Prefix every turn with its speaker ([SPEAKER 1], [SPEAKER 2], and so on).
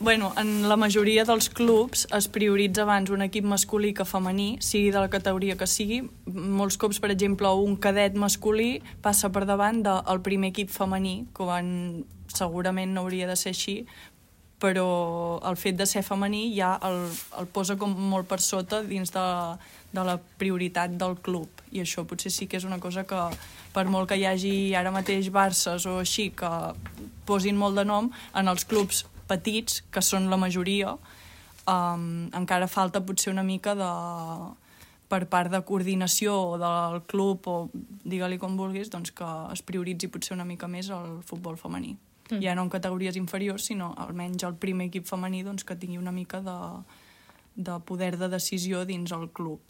[SPEAKER 1] Bueno, en la majoria dels clubs es prioritza abans un equip masculí que femení, sigui de la categoria que sigui. Molts cops, per exemple, un cadet masculí passa per davant del primer equip femení, quan segurament no hauria de ser així, però el fet de ser femení ja el posa com molt per sota dins de la prioritat del club. I això potser sí que és una cosa que, per molt que hi hagi ara mateix Barces o així, que posin molt de nom, en els clubs petits, que són la majoria, encara falta potser una mica per part de coordinació del club, o digue-li com vulguis, doncs que es prioritzi potser una mica més el futbol femení. Ja no en categories inferiors, sinó almenys el primer equip femení doncs, que tingui una mica de poder de decisió dins el club.